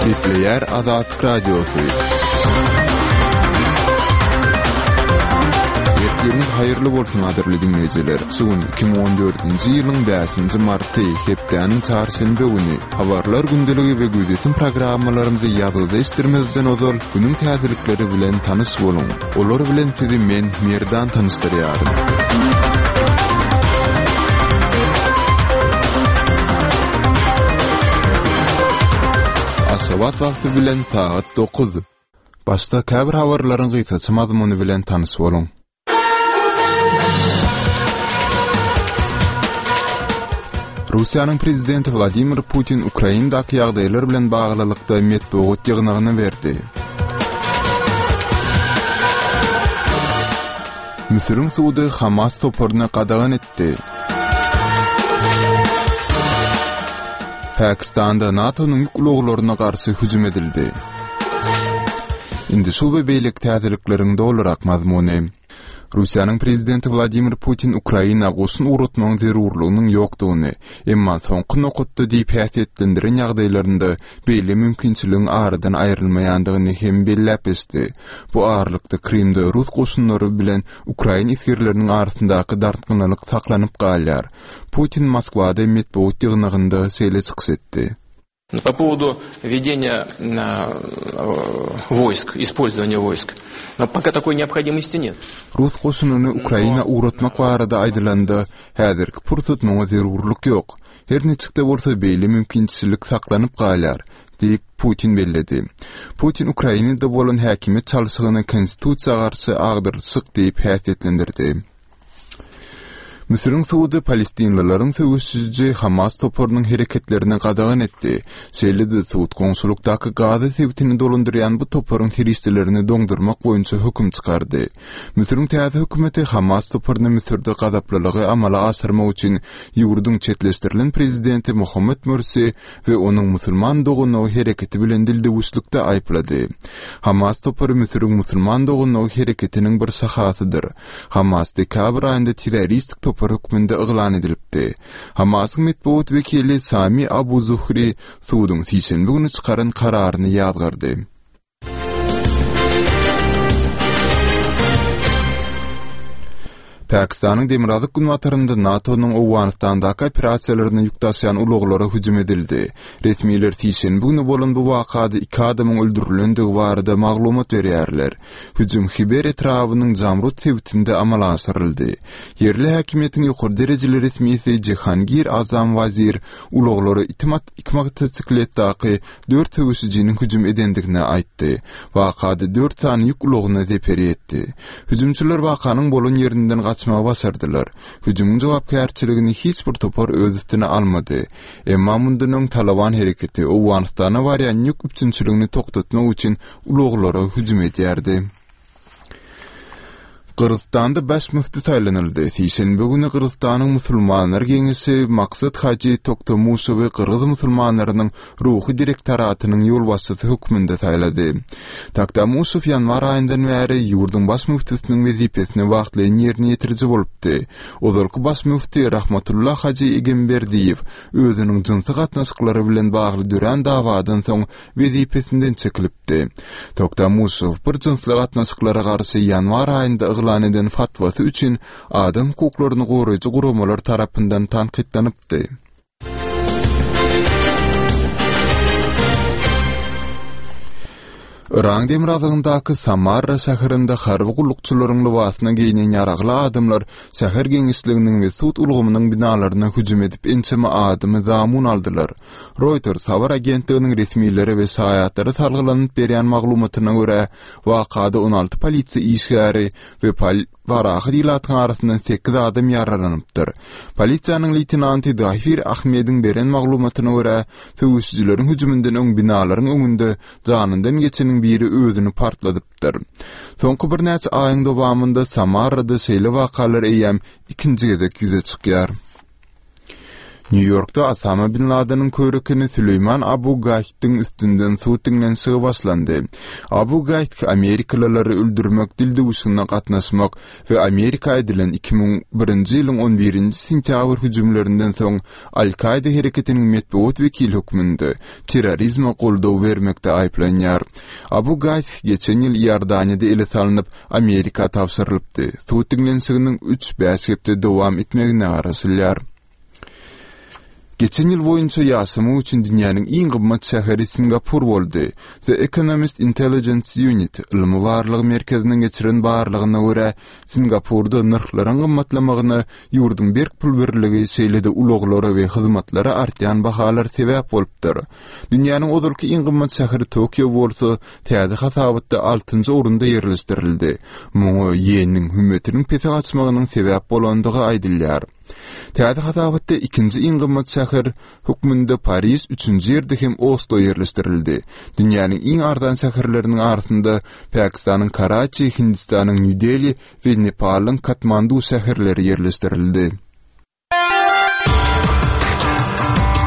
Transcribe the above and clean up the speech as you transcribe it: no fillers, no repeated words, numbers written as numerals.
Gepleýär Azatlyk Radiosy. Ertiriňiz haýyrly bolsun gadyrly diňleýjiler. Şu gün 2014-nji ýylyň 5-nji marty, hepdäniň çarşenbe güni. Habarlar gündeligi we gözýetim programmalarymyzy ýazgyda eşitdirmezden ozal, günüň täzelikleri bilen tanyş boluň. Olar bilen sizi men, Merdan tanyşdyrýaryn. Aşgabat wagty bilen sagat 9. Başda käbir habarlaryň gysgaça mazmuny bilen tanyş boluň. Russiýanyň prezidenti Wladimir Putin Ukrainadaky ýagdaýlar bilen baglylykda metbugat ýygnagyny berdi. Müsüriň sudy Hamas toparyny gadagan etdi. Pakistanda NATO-nyň ýük ulaglaryna garşy hüjüm edildi. Indi şu we beýleki täzelikleriň dolurak mazmuny. Russiýanyň prezidenti Wladimir Putin Ukraina goşun ugratmagyň zerurlygynyň ýokdugyny, emma soňky nokatda diýip häsiýetlendiren ýagdaýlarynda beýle mümkinçiligiň aradan aýrylmaýandygyny hem belläp geçdi. Bu aralykda Krymda rus goşunlary bilen ukrain esgerleriniň arasyndaky dartgynlylyk saklanyp galýar. Putin Moskwada metbugat ýygnagynda şeýle çykyş etdi. Po powodu wwedeniýa wojsk, ispolzowaniýa wojsk, poka takoý neobhodimosti net. Rus goşunyny Ukraina ugratmak barada aýdylanda, häzirki pursat muňa zerurlyk ýok. Her niçik-de bolsa beýle mümkinçilik saklanyp galýar, diýip, Putin belledi. Putin Ukrainada bolan häkimiýet çalşygyny konstitusiýa garşy agdarylyşyk diýip häsiýetlendirdi. Müsüriň sudy palestinlileriň söweşiji Hamas toparynyň hereketlerini gadagan etdi. Şeýle-de sud goňşulykdaky Gaza sebitini dolandyrýan bu toparyň serişdelerini doňdurmak boýunça höküm çykardy. Müsüriň täze hökümeti Hamas toparyny Müsürde gazaplylygy amala aşyrmak üçin ýurduň çetleşdirilen prezidenti Mohammed Mürsi we onuň Musulman doganlygy hereketi bilen dildüwüşlikde aýyplady. Hamas topary Müsüriň Musulman doganlygy hereketiniň bir şahasydyr. Hamas dekabr aýynda terroristik topar hökmünde yglan edilipdi. Hamasyň metbugat wekili Sami Abu Zuhri suduň sişenbe güni çykaran kararyny ýazgardy. Pakistanyň demirgazyk-günbatarynda NATO-nyň Owganystandaky operasiýalaryna ýük daşaýan ulaglara hüjüm edildi. Resmiler sişenbe güni bolan bu wakada iki adamyň öldürilendigi barada maglumat berýärler. Hüjüm Hiber etrabynyň Jamrud sebitinde amala aşyryldy. Ýerli häkimiýetiň ýokary derejeli resmisi Jehangir Azam Wazir ulaglara iki motosikletdaky dört söweşijiniň hüjüm edendigini aýtdy. Wakada dört sany ýük ulagyna zeper ýetdi. Hüjümçiler wakanyň bolan ýerinden gaçmagy başardylar. Hüjümiň jogapkärçiligini hiç bir topar öz üstüne almady. Emma mundan öň Talaban hereketi Owganystana barýan ýük üpjünçiligini togtatmak üçin ulaglara hüjüm edýärdi. Gyrgyzystanda baş müfti saýlanyldy. Sişenbe güni Gyrgyzystanyň Musulmanlar geňeşi Maksat hajy Toktamuşowy gyrgyz musulmanlarynyň ruhy direktoratynyň ýolbaşçysy hökmünde saýlady. Toktamuşow ýanwar aýyndan bäri ýurduň baş müftüsiniň wezipesini wagtlaýyn ýerine ýetiriji bolupdy. Ozalky baş müfti Rahmatulla hajy Egemberdiýew özüniň jynsy gatnaşyklary bilen bagly dörän dawadan soň wezipesinden çekilipdi. Toktamuşow bir jynsly gatnaşyklara garşy ýanwar aýynda yglan eden fatwasy üçin adam hukuklaryny goraýjy guramalar tarapyndan tankytlanypdy. Yragyň demirgazygyndaky Samarra şäherinde harby gullukçylaryň lybasyna geýnen ýaragly adamlar şäher geňeşliginiň we sud ulgamynyň binalaryna hüjüm edip ençeme adamy zamun aldylar. Reuters habar agentliginiň resmilere we şaýatlara salgylanyp berýän maglumatyna görä, wakada 16 polisiýa işgäri we parahat ilatyň arasyndan sekiz adam ýaralanypdyr. Polisiýanyň leýtenanty Zahir Ahmediň beren maglumatyna görä, söweşijileriň hüjüminden öň binalaryň öňünde janyndan geçeniň biri özüni partladypdyr. Soňky birnäçe aýyň dowamynda Samarrada şeýle wakalar eýýäm ikinji gezek ýüze çykýar. Nýu-Ýorkda Osama bin Ladeniň körekeni Süleýman Abu Gaýtdyň üstünden sud diňlenişigi başlandy. Abu Gaýt amerikalylary öldürmek dildüwşügine gatnaşmak we Amerika edilen 2001-nji ýylyň on birinji sentýabr hüjümlerinden soň Al-Kaýda hereketiniň metbugat wekili hökmünde terrorizme goldaw bermekde aýyplanýar. Abu Gaýt geçen ýyl Iordaniýada ele salnyp, Amerika tabşyrylypdy. Sud diňlenişiginiň üç-bäş hepde dowam etmegine garaşylýar. Geçen ýyl boýunça ýaşamak üçin dünýäniň iň gymmat şäheri Singapur boldy. The Economist Intelligence Unit ylmy-barlag merkeziniň geçiren barlagyna görä, Singapurda nyrhlaryň gymmatlamagyna ýurduň berk pul birligi, şeýle-de ulaglara we hyzmatlara artýan bahalar sebäp bolupdyr. Dünýäniň ozalky iň gymmat şäheri Tokio bolsa täze hasabatda altynjy orunda ýerleşdirildi. Muňa ýeniň hümmetiniň pese gaçmagynyň sebäp bolandygy aýdylýar. Täze hasabatda ikinji iň gymmat şäher hökmünde Pariž, üçünji ýerde hem Oslo ýerleşdirildi. Dünýäniň iň arzan şäherleriniň arasynda Pakistanyň Karaçi, Hindistanyň Nýu-Deli we Nepalyň Katmandu şäherleri ýerleşdirildi.